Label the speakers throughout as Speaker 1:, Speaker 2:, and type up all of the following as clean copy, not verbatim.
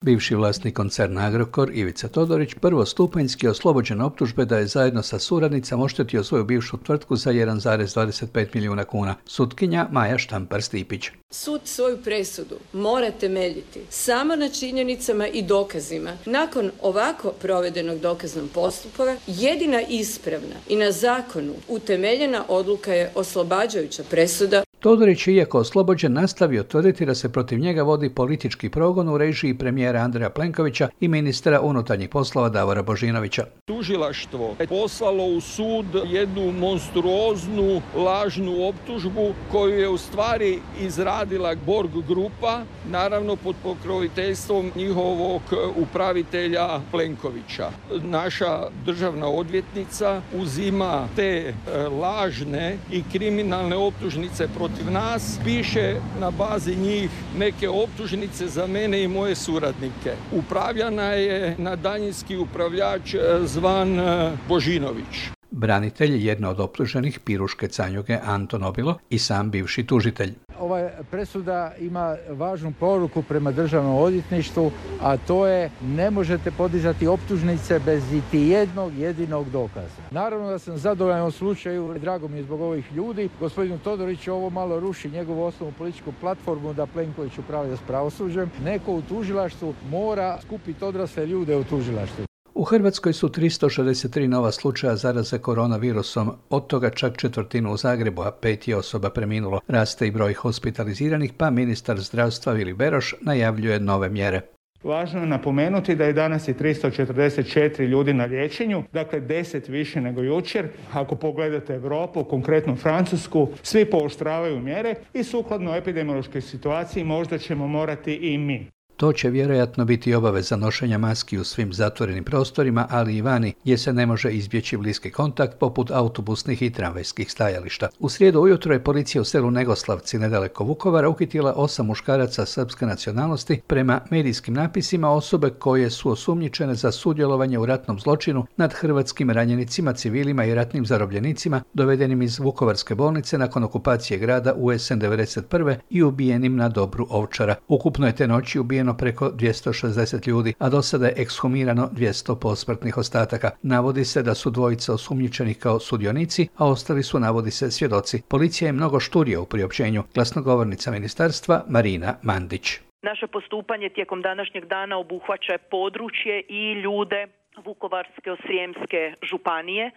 Speaker 1: Bivši vlasnik koncerna Agrokor, Ivica Todorić, prvostupanjski oslobođen optužbe da je zajedno sa suradnicama oštetio svoju bivšu tvrtku za 1,25 milijuna kuna. Sutkinja Maja Štampar-Stipić.
Speaker 2: Sud svoju presudu mora temeljiti samo na činjenicama i dokazima. Nakon ovako provedenog dokaznog postupka, jedina ispravna i na zakonu utemeljena odluka je oslobađajuća presuda.
Speaker 1: Todorić je, iako oslobođen, nastavio tvrditi da se protiv njega vodi politički progon u režiji premijera Andreja Plenkovića i ministra unutarnjih poslova Davora Božinovića.
Speaker 3: Tužilaštvo je poslalo u sud jednu monstruoznu lažnu optužbu koju je u stvari izradila Borg grupa, naravno pod pokroviteljstvom njihovog upravitelja Plenkovića. Naša državna odvjetnica uzima te lažne i kriminalne optužnice protiv nas, piše na bazi njih neke optužnice za mene i moje suradnike. Upravljana je na daljinski upravljač zvan Božinović.
Speaker 1: Branitelj jedno od optuženih Piruške Canjuge Anton Obilo i sam bivši tužitelj.
Speaker 4: Ova presuda ima važnu poruku prema državnom odvjetništvu, a to je ne možete podizati optužnice bez iti jednog jedinog dokaza. Naravno da sam zadovoljan u slučaju, drago mi je zbog ovih ljudi. Gospodinu Todoriću ovo malo ruši njegovu osnovnu političku platformu da Plenković upravlja s pravosuđem. Neko u tužilaštvu mora skupiti odrasle ljude u tužilaštvu.
Speaker 1: U Hrvatskoj su 363 nova slučaja zaraze koronavirusom, od toga čak 1/4 u Zagrebu, a 5 je osoba preminulo. Raste i broj hospitaliziranih, pa ministar zdravstva Vili Beroš najavljuje nove mjere.
Speaker 5: Važno je napomenuti da je danas 344 ljudi na liječenju, dakle 10 više nego jučer. Ako pogledate Europu, konkretno Francusku, svi pooštravaju mjere i sukladno epidemiološkoj situaciji možda ćemo morati i mi.
Speaker 1: To će vjerojatno biti obaveza nošenja maski u svim zatvorenim prostorima, ali i vani, gdje se ne može izbjeći bliski kontakt poput autobusnih i tramvajskih stajališta. U srijedu ujutro je policija u selu Negoslavci nedaleko Vukovara uhitila 8 muškaraca srpske nacionalnosti, prema medijskim napisima osobe koje su osumnjičene za sudjelovanje u ratnom zločinu nad hrvatskim ranjenicima, civilima i ratnim zarobljenicima dovedenim iz Vukovarske bolnice nakon okupacije grada u jesen 1991. i ubijenim na Dobru Ovčara. Ukupno je te noći ubijeno preko 260 ljudi, a do sada je ekshumirano 200 posmrtnih ostataka. Navodi se da su dvojica osumnjičenih kao sudionici, a ostali su, navodi se, svjedoci. Policija je mnogo šturija u priopćenju. Glasnogovornica ministarstva Marina Mandić.
Speaker 6: Naše postupanje tijekom današnjeg dana obuhvaća područje i ljude Vukovarsko-srijemske županije.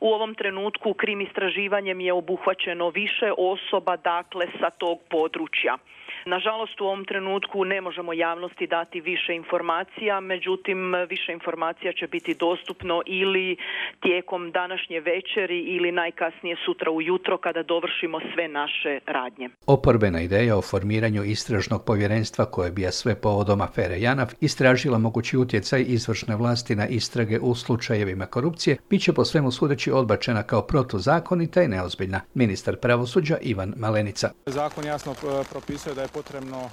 Speaker 6: U ovom trenutku krim istraživanjem je obuhvaćeno više osoba, dakle, sa tog područja. Nažalost, u ovom trenutku ne možemo javnosti dati više informacija, međutim, više informacija će biti dostupno ili tijekom današnje večeri ili najkasnije sutra ujutro kada dovršimo sve naše radnje.
Speaker 1: Oporbena ideja o formiranju istražnog povjerenstva koje bi sve povodom afere JANAF istražila mogući utjecaj izvršne vlasti na istrage u slučajevima korupcije, bit će po svemu sudeći odbačena kao protuzakonita i neozbiljna. Ministar pravosuđa Ivan Malenica.
Speaker 7: Zakon jasno propisuje da je potrebno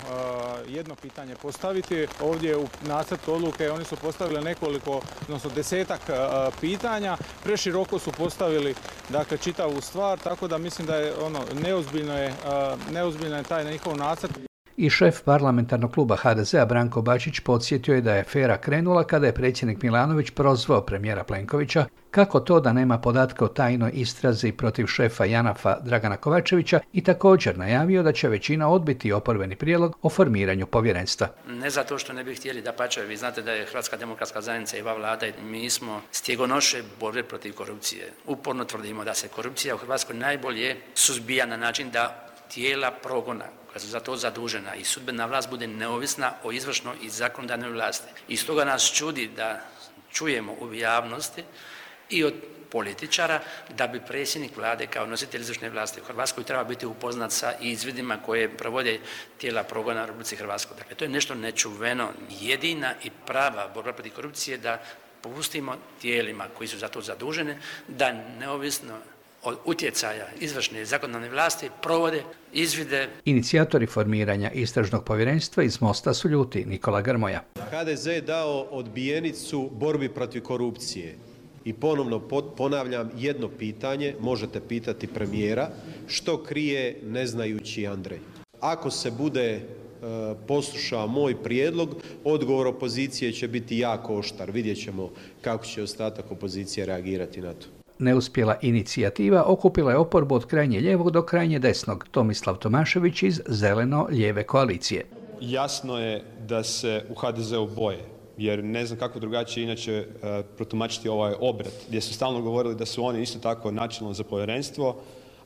Speaker 7: jedno pitanje postaviti. Ovdje u nacrtu odluke oni su postavili nekoliko, odnosno 10-ak pitanja. Preširoko su postavili, dakle, čitavu stvar, tako da mislim da je neozbiljno je taj njihov nacrt.
Speaker 1: I šef parlamentarnog kluba HDZ-a Branko Bačić podsjetio je da je afera krenula kada je predsjednik Milanović prozvao premijera Plenkovića kako to da nema podatka o tajnoj istrazi protiv šefa JANAF-a Dragana Kovačevića i također najavio da će većina odbiti oporbeni prijedlog o formiranju povjerenstva.
Speaker 8: Ne zato što ne bi htjeli, dapače, vi znate da je Hrvatska demokratska zajednica i ova vlada, mi smo stjegonoše borbe protiv korupcije. Uporno tvrdimo da se korupcija u Hrvatskoj najbolje suzbija na način da tijela progona koja su za to zadužena i sudbena vlast bude neovisna o izvršnoj i zakonodavnoj vlasti. I stoga nas čudi da čujemo u javnosti i od političara da bi predsjednik vlade kao nositelj izvršne vlasti u Hrvatskoj treba biti upoznat sa izvidima koje provode tijela progona u Republici Hrvatskoj. Dakle, to je nešto nečuveno. Jedina i prava borba protiv korupcije da popustimo tijelima koji su za to zadužene da neovisno od utjecaja izvršne i zakonodavne vlasti provode izvide.
Speaker 1: Inicijatori formiranja istražnog povjerenstva iz Mosta su ljuti. Nikola Grmoja.
Speaker 9: HDZ je dao odbijenicu borbi protiv korupcije. I ponovno ponavljam jedno pitanje, možete pitati premijera, što krije neznajući Andrej. Ako se bude posluša moj prijedlog, odgovor opozicije će biti jako oštar. Vidjet ćemo kako će ostatak opozicije reagirati na to.
Speaker 1: Neuspjela inicijativa okupila je oporbu od krajnje lijevog do krajnje desnog. Tomislav Tomašević iz Zeleno-lijeve koalicije.
Speaker 10: Jasno je da se u HDZ-u boje, jer ne znam kako drugačije inače protumačiti ovaj obrat, gdje su stalno govorili da su oni isto tako načelno za povjerenstvo,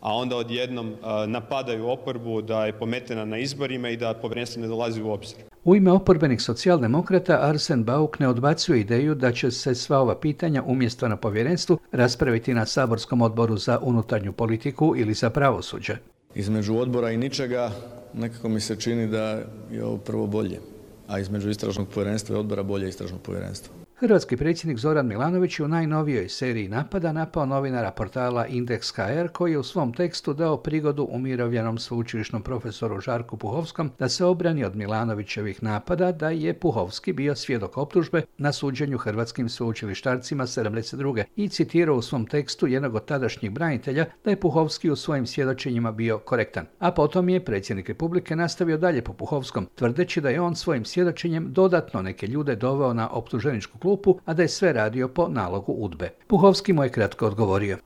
Speaker 10: a onda odjednom napadaju oporbu da je pometena na izborima i da povjerenstvo ne dolazi u obzir.
Speaker 1: U ime oporbenih socijaldemokrata Arsen Bauk ne odbacuje ideju da će se sva ova pitanja umjesto na povjerenstvu raspraviti na saborskom odboru za unutarnju politiku ili za pravosuđe.
Speaker 11: Između odbora i ničega nekako mi se čini da je ovo prvo bolje, a između istražnog povjerenstva i odbora bolje istražnog povjerenstva.
Speaker 1: Hrvatski predsjednik Zoran Milanović je u najnovijoj seriji napada napao novinara portala Indeks.hr koji je u svom tekstu dao prigodu umirovljenom sveučilišnom profesoru Žarku Puhovskom da se obrani od Milanovićevih napada da je Puhovski bio svjedok optužbe na suđenju hrvatskim sveučilištarcima 72. i citirao u svom tekstu jednog od tadašnjih branitelja da je Puhovski u svojim svjedočenjima bio korektan. A potom je predsjednik Republike nastavio dalje po Puhovskom, tvrdeći da je on svojim svjedočenjem dodatno neke ljude doveo na optuženičku klupu, a da je sve radio po nalogu UDBE. Puhovski mu je kratko odgovorio.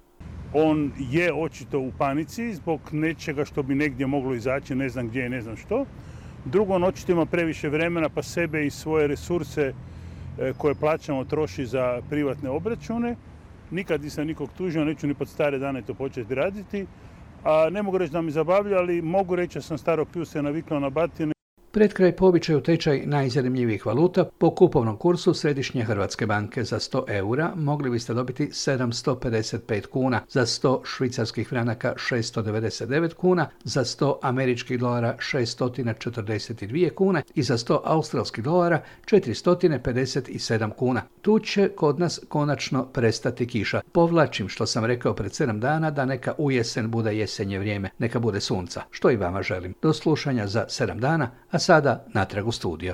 Speaker 12: On je očito u panici zbog nečega što bi negdje moglo izaći, ne znam gdje i ne znam što. Drugo, on očito ima previše vremena pa sebe i svoje resurse koje plaćamo troši za privatne obračune. Nikad nisam nikog tužio, neću ni pod stare dane to početi raditi. A ne mogu reći da mi zabavlja, ali mogu reći da sam staro piju se naviknuo na batine.
Speaker 1: Pred kraj po običaju tečaj najzanimljivijih valuta po kupovnom kursu Središnje Hrvatske banke za 100 eura mogli biste dobiti 755 kuna, za 100 švicarskih franaka 699 kuna, za 100 američkih dolara 642 kune i za 100 australskih dolara 457 kuna. Tu će kod nas konačno prestati kiša. Povlačim što sam rekao pred 7 dana da neka u jesen bude jesenje vrijeme, neka bude sunca, što i vama želim. Do slušanja za 7 dana, a sada natrag u studio.